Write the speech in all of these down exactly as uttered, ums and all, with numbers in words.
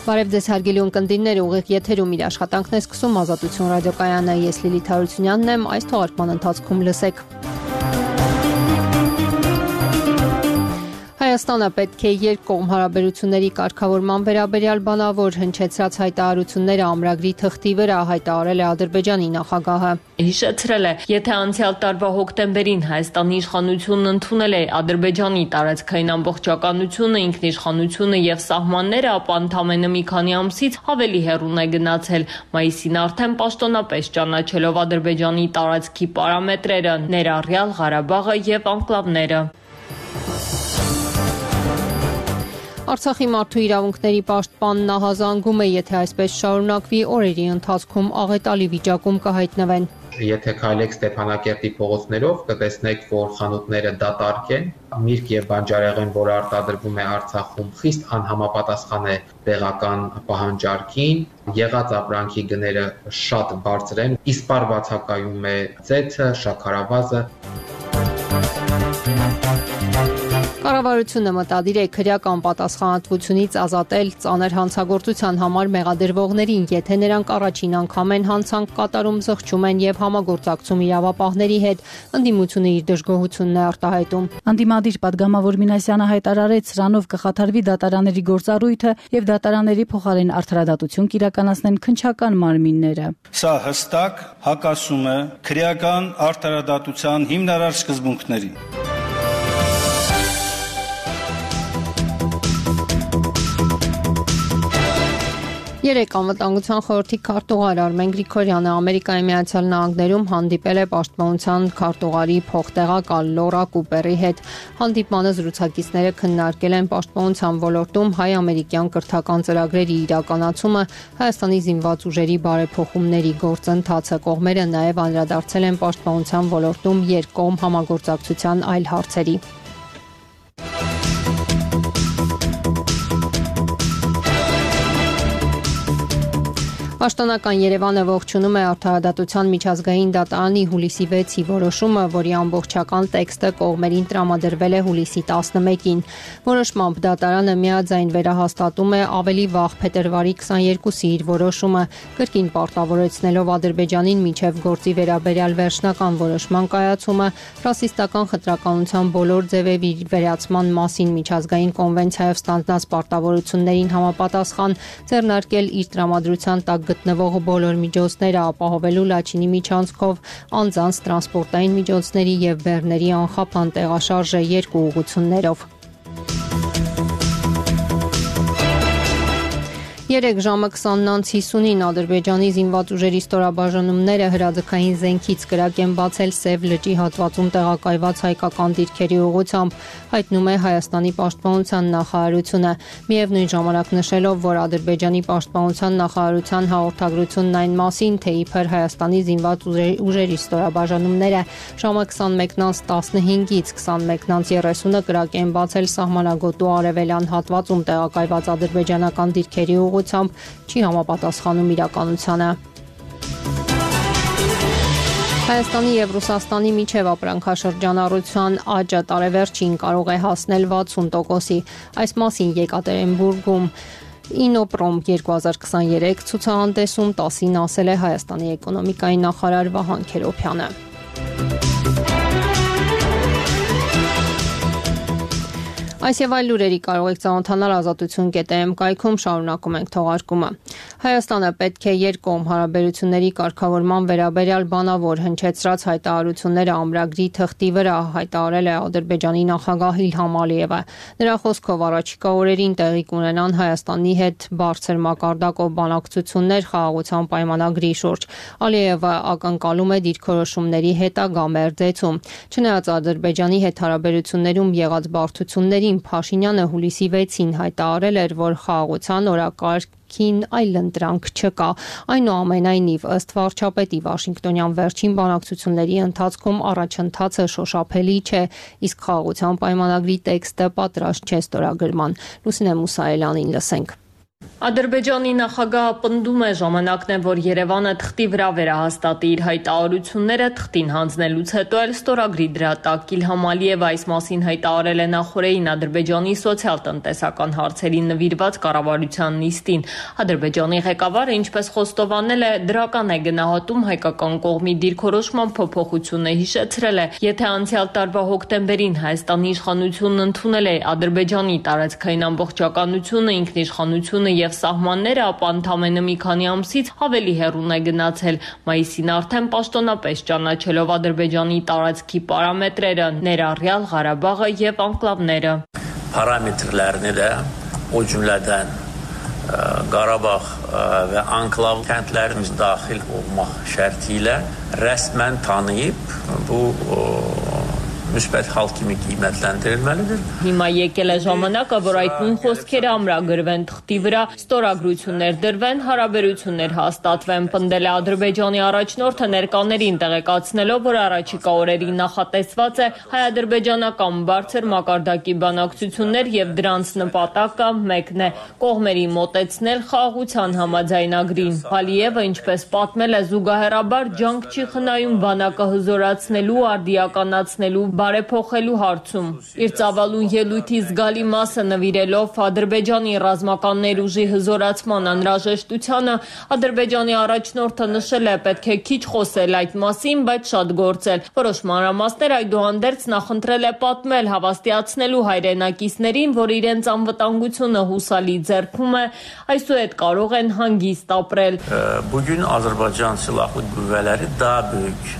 Բարև ձեզ հարգելի ունկնդիրներ, ուղիղ եթերում իր աշխատանքն է սկսում Ազատություն ռադիոկայանը, ես Լիլիթ Հարությունյանն եմ, այս թողարկման ընթացքում լսեք. Հայաստանը պետք է երկկողմ հարաբերությունների կարգավորման վերաբերյալ բանավոր հնչեցրած հայտարարությունները ամրագրի թղթի վրա, հայտարարել է Ադրբեջանի նախագահը։ Հիշեցրել է, եթե անցյալ տարվա հոկտեմբերին Հայաստանի իշխանությունն ընդունել է Ադրբեջանի տարածքային ամբողջականությունը, ինքնիշխանությունը եւ սահմանները, ապա ընդամենը մի քանի ամսից ավելի հեռուն է գնացել։ Մայիսին արդեն պաշտոնապես ճանաչելով Ադրբեջանի տարածքի պարամետրերը, ներառյալ Ղարաբաղը եւ անկլավները։ Արցախի մարդու իրավունքների պաշտպանն ահազանգում է, եթե այսպես շարունակվի, օրերի ընթացքում աղետալի վիճակում կհայտնվեն։ Եթե քայլեք Ստեփանակերտի փողոցներով, կտեսնեք, որ խանութները դատարկ են, միրգ եւ բանջարեղեն, որը արտադրվում է Արցախում, խիստ անհամապատասխան է տեղական պահանջարկին, եղած ապրանքի գները շատ բարձր են, իսպառ բացակայում է ծեթը, շաքարավազը։ Կառավարությունը մտադիր է քրեական պատասխանատվությունից ազատել ծանր հանցագործության համար մեղադրվողներին, եթե նրանք առաջին անգամ են հանցանք կատարում, զղջում են եւ համագործակցում իրավապահների հետ, ընդդիմությունը իր դժգոհությունն է արտահայտում։ Անդիմադիր պատգամավոր Մինասյանը հայտարարեց, սրանով կխաթարվի դատարանների գործառույթը եւ դատարանների փոխարեն արդարադատություն կիրականացնեն քննչական մարմինները։ Սա հստակ հակասում է քրեական արդարադատության հիմնարար սկզբունքներին։ Երեկ անվտանգության խորհրդի քարտուղար Արմեն Գրիգորյանը Ամերիկայի Միացյալ Նահանգներում հանդիպել է պաշտպանության քարտուղարի փոխտեղակալ Լորա Կուպերի հետ։ Հանդիպմանը զրուցակիցները քննարկել են պաշտպանության ոլորտում հայ-ամերիկյան կրթական ծրագրերի իրականացումը, Հայաստանի զինված ուժերի բարեփոխումների գործընթացը։ Կողմերը նաև անդրադարձել են պաշտպանության ոլորտում երկկողմ համագործակցության այլ հարցերի։ Պաշտոնական Երևանը ողջունում է Արդարադատության միջազգային դատարանի հուլիսի վեցի որոշումը, որի ամբողջական տեքստը կողմերին տրամադրվել է հուլիսի տասնմեկին։ Որոշմամբ դատարանը միաձայն վերահաստատում է ավելի վաղ փետրվարի քսաներկուսի իր որոշումը, կրկին պարտավորեցնելով Ադրբեջանին մինչև գործի վերաբերյալ վերջնական որոշման կայացումը, ռասիստական խտրականության բոլոր ձևերի վերացման մասին միջազգային կոնվենցիայով ստանձնած պարտավորություններին համապատասխան ձեռնարկել իր տրամադրության տակ գտնվող բոլոր միջոցները, ապահովելու Լաչինի միջանցքով անձանց տրանսպորտային միջոցների եւ բեռների անխափան տեղաշարժը երկու ուղղություններով։ Երեկ ժամը քսանն անց հիսունին Ադրբեջանի զինված ուժերի ստորաբաժանումները հրաձգային զենքից կրակ են բացել Սև լճի հատվածում տեղակայված հայկական դիրքերի ուղղությամբ, հայտնում է Հայաստանի պաշտպանության նախարարությունը, միևնույն ժամանակ նշելով, որ Ադրբեջանի պաշտպանության նախարարության հաղորդագրությունն այն մասին, թե իբր Հայաստանի զինված ուժերի ստորաբաժանումները ժամը քսանմեկն անց տասնհինգից քսանմեկն անց երեսունը կրակ են բացել սահմանագոտու արևելյան հատվածում տեղակայված ադրբեջանական դիրքերի ուղղությամբ չի համապատասխանում իրականությանը։ Հայաստանի եւ Ռուսաստանի միջև ապրանքաշրջանառության աճը տարեվերջին կարող է հասնել վաթսուն տոկոսի։ Այս մասին Եկատերինբուրգում Ինոպրոմ երկու հազար քսաներեք ցուցահանդեսում տասին ասել է Հայաստանի էկոնոմիկայի նախարար Վահան Քերոբյանը։ Այս եւ այլ լուրերի կարող եք ծանոթանալ ազատություն կետ է էմ կայքում, շարունակում ենք թողարկումը։ Հայաստանը պետք է երկկողմ հարաբերությունների կարգավորման վերաբերյալ բանավոր հնչեցրած հայտարարությունները ամրագրի թղթի վրա, հայտարարել է Ադրբեջանի նախագահ Իլհամ Ալիևը։ Նրա խոսքով առաջիկա օրերին տեղի կունենան Հայաստանի հետ բարձր մակարդակով բանակցություններ խաղաղության պայմանագրի շուրջ։ Ալիևը ակնկալում է դիրքորոշումների հետագա մերձեցում։ Չնայած Ադրբեջանի հետ հարաբերություններում եղած բարդությունների Փաշինյանը հուլիսի վեցին հայտարարել էր, որ խաղաղության օրակարգին այլընտրանք չկա։ Այնուամենայնիվ, ըստ վարչապետի, Վաշինգտոնյան վերջին բանակցությունների ընթացքում առաջընթացը շոշափելի չէ, իսկ խաղաղության պայմանագրի տեքստը պատրաստ չէ ստորագրման։ Լուսինե Մուսայելյանին լսենք։ Ադրբեջանի նախագահը պնդում է ժամանակն է, որ Երևանը թղթի վրա վերահաստատի իր հայտարարությունները, թղթին հանձնելուց հետո էլ ստորագրի դրա տակ։ Իլհամ Ալիևը այս մասին հայտարարել է նախորդին Ադրբեջանի սոցիալ-տնտեսական հարցերին նվիրված կառավարության նիստին։ Ադրբեջանի ղեկավարը, ինչպես խոստովանել է, դրական է գնահատում հայկական կողմի դիրքորոշման փոփոխությունը, հիշեցրել է, եթե անցյալ տարվա հոկտեմբերին Հայաստանի իշխանությունն ընդունել է Ադրբեջանի տարածքային ամբողջականությունը, ինքնիշխանությունը եւ սահմանները, ապա ընդամենը մի քանի ամսից ավելի հեռուն է գնացել։ Մայիսին արդեն պաշտոնապես ճանաչելով Ադրբեջանի տարածքի պարամետրերը, ներառյալ Ղարաբաղը եւ անկլավները։ Parametrlərini də o cümlədən Qarabağ və anklav kəndlərimiz daxil olmaq şərti ilə rəsmən tanıyıb bu müsbət hal kimi qiymətləndirilməlidir. Հիմա եկել է ժամանակը, որ այդ նույն խոսքերը ամրագրվեն թղթի վրա, ստորագրություններ դրվեն, հարաբերություններ հաստատվեն, պնդել է Ադրբեջանի առաջնորդը ներկաներին տեղեկացնելով, որ առաջիկա օրերին նախատեսված է հայ-ադրբեջանական բարձր մակարդակի բանակցություններ եւ դրանց նպատակը մեկն է՝ կողմերի մոտեցնել խաղաղության համաձայնագրին։ Ալիևը, ինչպես պատմել է, զուգահեռաբար ջանք չի խնայում բանակը հզորացնելու, արդիականացնելու, բարեփոխելու հարցում։ Իր ծավալուն ելույթի զգալի մասը նվիրելով Ադրբեջանի ռազմական ներուժի հզորացման անհրաժեշտությանը, Ադրբեջանի առաջնորդը նշել է, պետք է քիչ խոսել այդ մասին, բայց շատ գործել։ Որոշ մանրամասներ այդուհանդերձ նախընտրել է պատմել, հավաստիացնելու հայրենակիցներին, որ իրենց անվտանգությունը հուսալի ձեռքում է, այսուհետ կարող են հանգիստ ապրել։ Bugün Azərbaycan Silahlı Qüvvələri daha böyük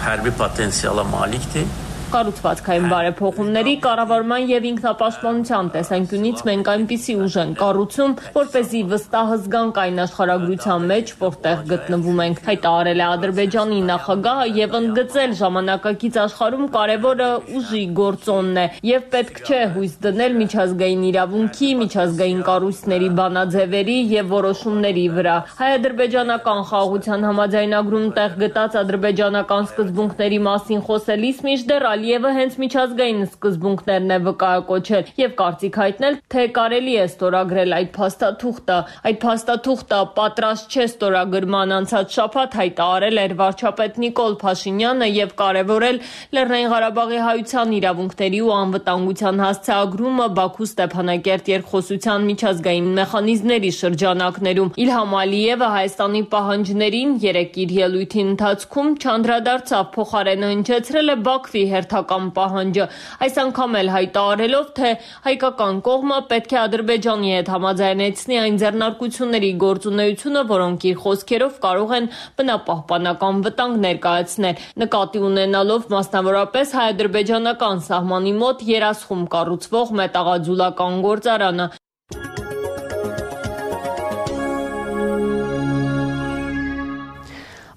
hərbi potensiala malikdir. Կառուցվածքային բարեփոխումների, կառավարման եւ ինքնապաշտպանության տեսանկյունից մենք այնպիսի ուժ ենք կառուցում, որպեսզի վստահ զգանք այն աշխարհագրության մեջ, որտեղ գտնվում ենք, հայտարարել է Ադրբեջանի նախագահը եւ ընդգծել ժամանակակից աշխարհում կարևորը ուժի գործոնն է եւ պետք չէ հույս դնել միջազգային իրավունքի, միջազգային կառույցների բանաձևերի եւ որոշումների վրա։ Հայ-ադրբեջանական խաղաղության համաձայնագրում տեղ գտած ադրբեջանական սկզբունքների մասին խոսելիս մինչդեռ Ալիևը հենց միջազգային սկզբունքներն է վկայակոչել եւ կարծիք հայտնել, թե կարելի է ստորագրել այդ փաստաթուղթը։ Այդ փաստաթուղթը պատրաստ չէ ստորագրման անցած շաբաթ հայտարարել էր վարչապետ Նիկոլ Փաշինյանը եւ կարեւորել Լեռնային Ղարաբաղի հայության իրավունքների ու անվտանգության հասցեագրումը Բաքու Ստեփանակերտ երկխոսության միջազգային մեխանիզմների շրջանակներում։ Իլհամ Ալիևը Հայաստանի պահանջներին երեք իր ելույթի ընթացքում չանդրադարձավ, փոխարենը հնչեցրել է Բաքվի հերթական պահանջը, այս անգամ էլ հայտարարելով, թե հայկական կողմը պետք է Ադրբեջանի հետ համաձայնեցնի այն ձեռնարկությունների գործունեությունը, որոնք իր խոսքերով կարող են բնապահպանական վտանգ ներկայացնել, նկատի ունենալով մասնավորապես հայ-ադրբեջանական սահմանի մոտ երասխում կառուցվող մետաղաձուլական գործարանը։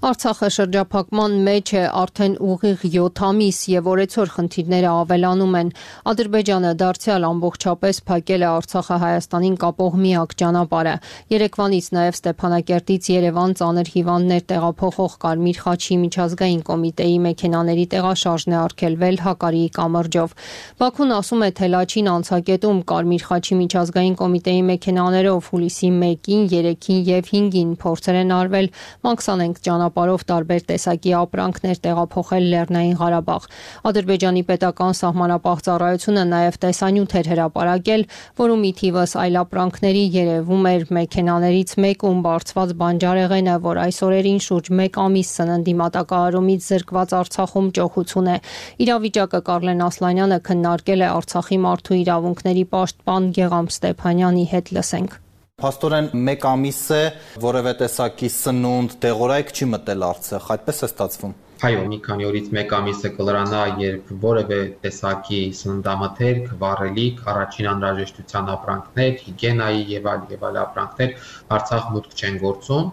Արցախը շրջափակման մեջ է արդեն ուղիղ յոթ ամիս եւ օրեցօր խնդիրները ավելանում են։ Ադրբեջանը դարձյալ ամբողջապես փակել է Արցախը Հայաստանին կապող միակ ճանապարհը։ Երեկվանից նաեւ Ստեփանակերտից Երևան ծանր հիվանդներ տեղափոխող Կարմիր խաչի միջազգային կոմիտեի մեքենաների տեղաշարժն է արգելվել Հակարիի կամրջով։ Բաքուն ասում է, թե Լաչին անցակետում Կարմիր խաչի միջազգային կոմիտեի մեքենաներով հուլիսի մեկին, երեքին եւ հինգին փորձեր են արվել Մաքսանենք ճանապարհով տարբեր տեսակի ապրանքներ տեղափոխել Լեռնային Ղարաբաղ։ Ադրբեջանի պետական սահմանապահ ծառայությունը նաև տեսանյութ էր հրապարակել, որում ի թիվս այլ ապրանքների երևում էր մեքենաներից մեկում բարձված բանջարեղենը, որ այս օրերին շուրջ մեկ ամիս սննդի մատակարարումից զրկված Արցախում ճոխություն է։ Իրավիճակը Կարլեն Ասլանյանը քննարկել է Արցախի մարդու իրավունքների պաշտպան Գեգամ Ստեփանյանի հետ, լսենք։ Փաստորեն մեկ ամիս է, որևէ տեսակի սնունդ, դեղորայք չի մտել Արցախ, այդպես է ստացվում։ Այո, մի քանի օրից մեկ ամիսը կլրանա, երբ որևէ տեսակի սննդամթերք, վառելիք, առաջին անհրաժեշտության ապրանքներ, հիգիենայի եւ այլ եւ այլ ապրանքներ Արցախ մուտք չեն գործում։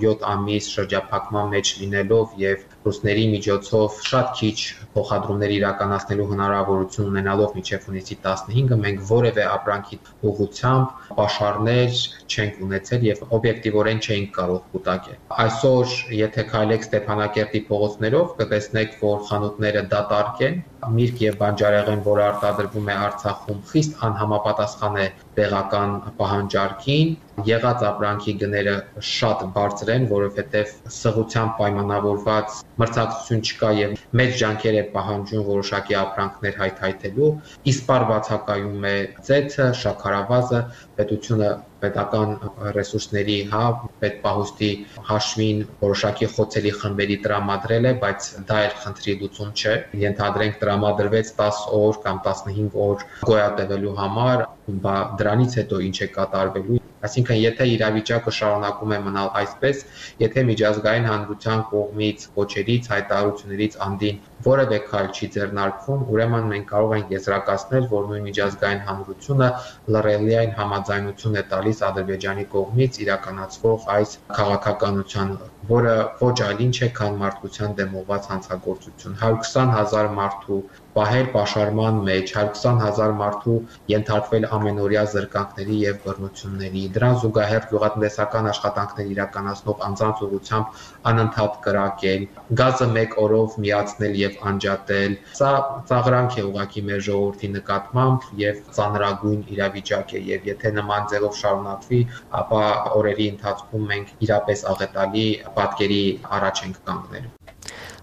յոթ ամիս շրջափակման մեջ լինելով եւ ռուսների միջոցով շատ քիչ փոխադրումներ իրականացնելու հնարավորություն ունենալով մինչև հունիսի տասնհինգը մենք որևէ ապրանքի ուղղությամբ պաշարներ չենք ունեցել եւ օբյեկտիվորեն չէինք կարող կուտակել։ Այսօր, եթե քայլեք Ստեփանակերտի փողոցներով, կտեսնեք, որ խանութները դատարկ են, միրգ եւ բանջարեղեն, որը արտադրվում է Արցախում, խիստ անհամապատասխան է տեղական պահանջարկին, եղած ապրանքի գները շատ բարձր են, որովհետև սղությամբ պայմանավորված մրցակցություն չկա եւ մեծ ջանքեր է պահանջում որոշակի ապրանքներ հայթայթելու, իսպար բացակայում է ծեթը, շաքարավազը, պետությունը պետական ռեսուրսների, հա, պետպահուստի հաշվին որոշակի խոցելի խմբերի տրամադրել է, բայց դա էլ խնդրի լուծում չէ։ Ենթադրենք տրամադրվեց տասը օր կամ տասնհինգ օր գոյատևելու համար, բա դրանից հետո ինչ է կատարվելու։ Այսինքն, եթե իրավիճակը շարունակում է մնալ այսպես, եթե միջազգային հանրության կողմից կոչերից, հայտարարություններից անդին որևէ քայլ չի ձեռնարկվում, ուրեմն մենք կարող ենք եզրակացնել, որ նույն միջազգային հանրությունը լռելիային համաձայնություն է տալիս Ադրբեջանի կողմից իրականացվող այս քաղաքականության, որը ոչ այլ ինչ է, քան մարդկության դեմ ուղղված հանցագործություն։ հարյուր քսան հազար մարդու պահել պաշարման մեջ, հարյուր քսան հազար մարդու ենթարկվել ամենօրյա զրկանքների եւ բռնությունների, դրան զուգահեռ գյուղատնտեսական աշխատանքներ իրականացնող անձանց ուղղությամբ անընդհատ կրակել, գազը մեկ օրով միացնել եւ անջատել։ Սա ծաղրանք է ուղղակի մեր ժողովրդի նկատմամբ եւ ծանրագույն իրավիճակ է, եւ եթե նման ձևով շարունակվի, ապա օրերի ընթացքում մենք իրապես աղետալի պատկերի առաջ ենք կանգնելու։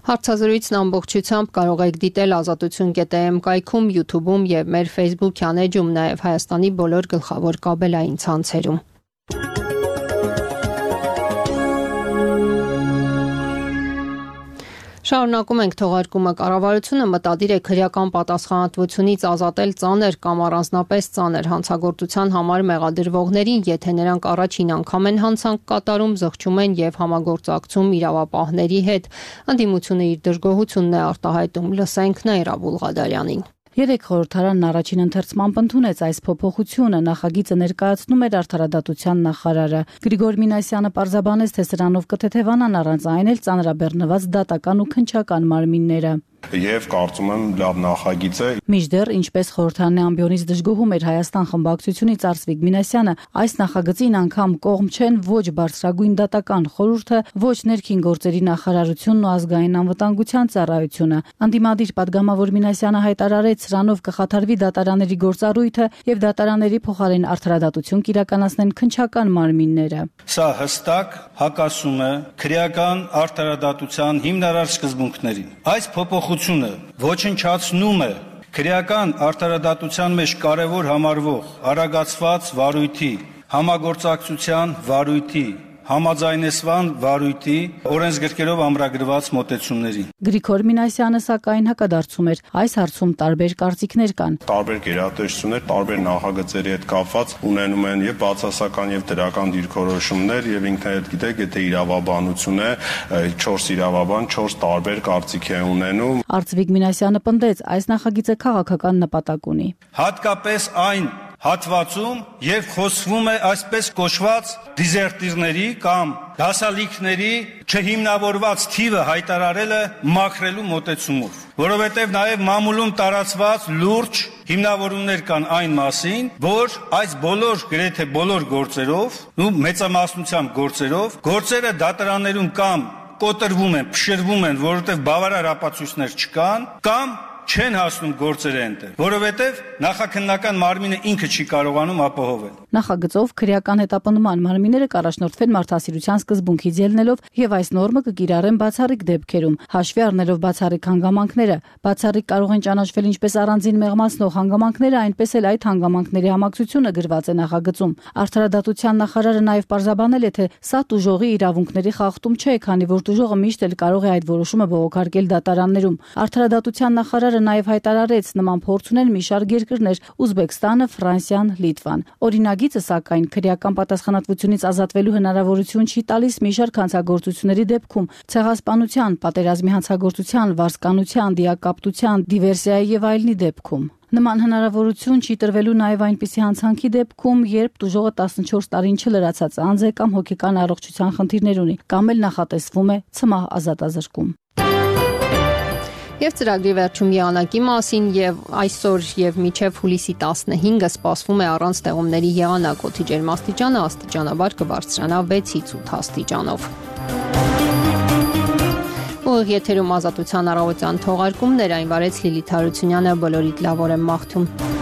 Հարցազրույցն ամբողջությամբ կարող եք դիտել ազատություն կետ էմ կայքում, YouTube-ում եւ մեր Facebook-յան էջում, նաեւ Հայաստանի բոլոր գլխավոր կաբելային ցանցերում։ Շարունակում ենք թողարկումը։ Կառավարությունը մտադիր է քրեական պատասխանատվությունից ազատել ծանր կամ առանձնապես ծանր հանցագործության համար մեղադրվողներին, եթե նրանք առաջին անգամ են հանցանք կատարում, զղջում են եւ համագործակցում իրավապահների հետ։ Ընդդիմությունը իր դժգոհությունն է արտահայտում։ Լսենք Նաիրա Բուլղադարյանին։ Երեք խորհրդարանն առաջին ընթերցմամբ ընդունեց այս փոփոխությունը, նախագիծը ներկայացնում էր Արդարադատության նախարարը։ Գրիգոր Մինասյանը պարզաբանեց, թե սրանով կթեթևանան առանց այն էլ ծանրաբեռնված դատական ու քննչական մարմինները։ Եվ կարծում եմ լավ նախագիծ է։ Մինչդեռ, ինչպես խորհրդարանի ամբիոնից դժգոհում էր Հայաստան խմբակցությունից Արծվիկ Մինասյանը, այս նախագծին անգամ կողմ չեն ոչ բարձրագույն դատական խորհուրդը, ոչ ներքին գործերի նախարարությունն ու ազգային անվտանգության ծառայությունը։ Անդիմադիր պատգամավոր Մինասյանը հայտարարեց, սրանով կխաթարվի դատարանների գործառույթը եւ դատարանների փոխարեն արդարադատություն կիրականացնեն քննչական մարմինները։ Սա հստակ հակասում է քրեական արդարադատության հիմնարար սկզբունքներին։ Այս փոփոխությունը ոչնչացնում է քրեական արդարադատության մեջ կարևոր համարվող արագացված վարույթի, համագործակցության վարույթի, համաձայնեցման վարույթի օրենսգրքերով ամրագրված մոտեցումներին։ Գրիգոր Մինասյանը սակայն հակադարձում էր, այս հարցում տարբեր կարծիքներ կան։ Տարբեր գերատեսչություններ, տարբեր նախագծերի հետ կապված ունենում են եւ բացասական եւ դրական դիրքորոշումներ եւ ինքն էլ գիտեք, եթե իրավաբանություն է, չորս իրավաբան չորս տարբեր կարծիք է ունենում։ Արծվիկ Մինասյանը պնդեց, այս նախագիծը քաղաքական նպատակ ունի։ Հատկապես այն հատվածում, երբ խոսվում է այսպես կոչված դիզերտիրների կամ դասալիքների չհիմնավորված թիվը հայտարարելը մաքրելու մոտեցումով, որովհետև նաև մամուլում տարածված լուրջ հիմնավորումներ կան այն մասին, որ այս բոլոր գրեթե բոլոր գործերով, ու մեծամասնությամբ գործերով, գործերը դատարաններում կամ կոտրվում են, փշրվում են, որովհետև բավարար ապացույցներ չկան, կամ չեն հասնում գործերը այնտեղ, որովհետև նախաքննական մարմինը ինքը չի կարողանում ապահովել։ Նախագծով քրեական հետապնդման մարմինները կառաջնորդվեն մարդասիրության սկզբունքից ելնելով եւ այս նորմը կկիրառեն բացառիկ դեպքերում, հաշվի առնելով բացառիկ հանգամանքները։ Բացառիկ կարող են ճանաչվել ինչպես առանձին մեղմացնող հանգամանքները, այնպես էլ այդ հանգամանքների համակցությունը գրված է նախագծում։ Արդարադատության նախարարը նաեւ պարզաբանել է, թե սա տուժողի իրավունքների խախտում չէ, քանի որ տուժողը միշտ էլ կարող է այդ որոշումը բողոքարկել դատարաններում։ Արդարադատության նախարարը նաև հայտարարեց, նման փորձ ունեն մի շարք երկրներ՝ Ուզբեկստանը, Ֆրանսիան, Լիտվան։ Օրինագիծը սակայն քրեական պատասխանատվությունից ազատվելու հնարավորություն չի տալիս մի շարք հանցագործությունների դեպքում՝ ցեղասպանության, պատերազմի հանցագործության, վարձկանության, դիակապտության, դիվերսիայի եւ այլնի դեպքում։ Նման հնարավորություն չի տրվելու նաև այնպիսի հանցանքի դեպքում, երբ տուժողը տասնչորս տարին չլրացած անձ է կամ հոգեկան առողջության խնդիրներ ունի, կամ էլ նախատեսվում է ցմահ ազատազրկում։ Եվ ծրագրի վերջում եղանակի մասին եւ այսօր եւ մինչեւ հուլիսի տասնհինգը սպասվում է առանց տեղումների եղանակ, օդի ջերմաստիճանը աստիճանաբար կբարձրանա վեցից ութ աստիճանով։ Ուղիղ եթերում ազատության առավոտյան թողարկումներ, այն վարեց Լիլիթ Հարությունյանը, բոլորիդ լավ օր եմ մաղթում։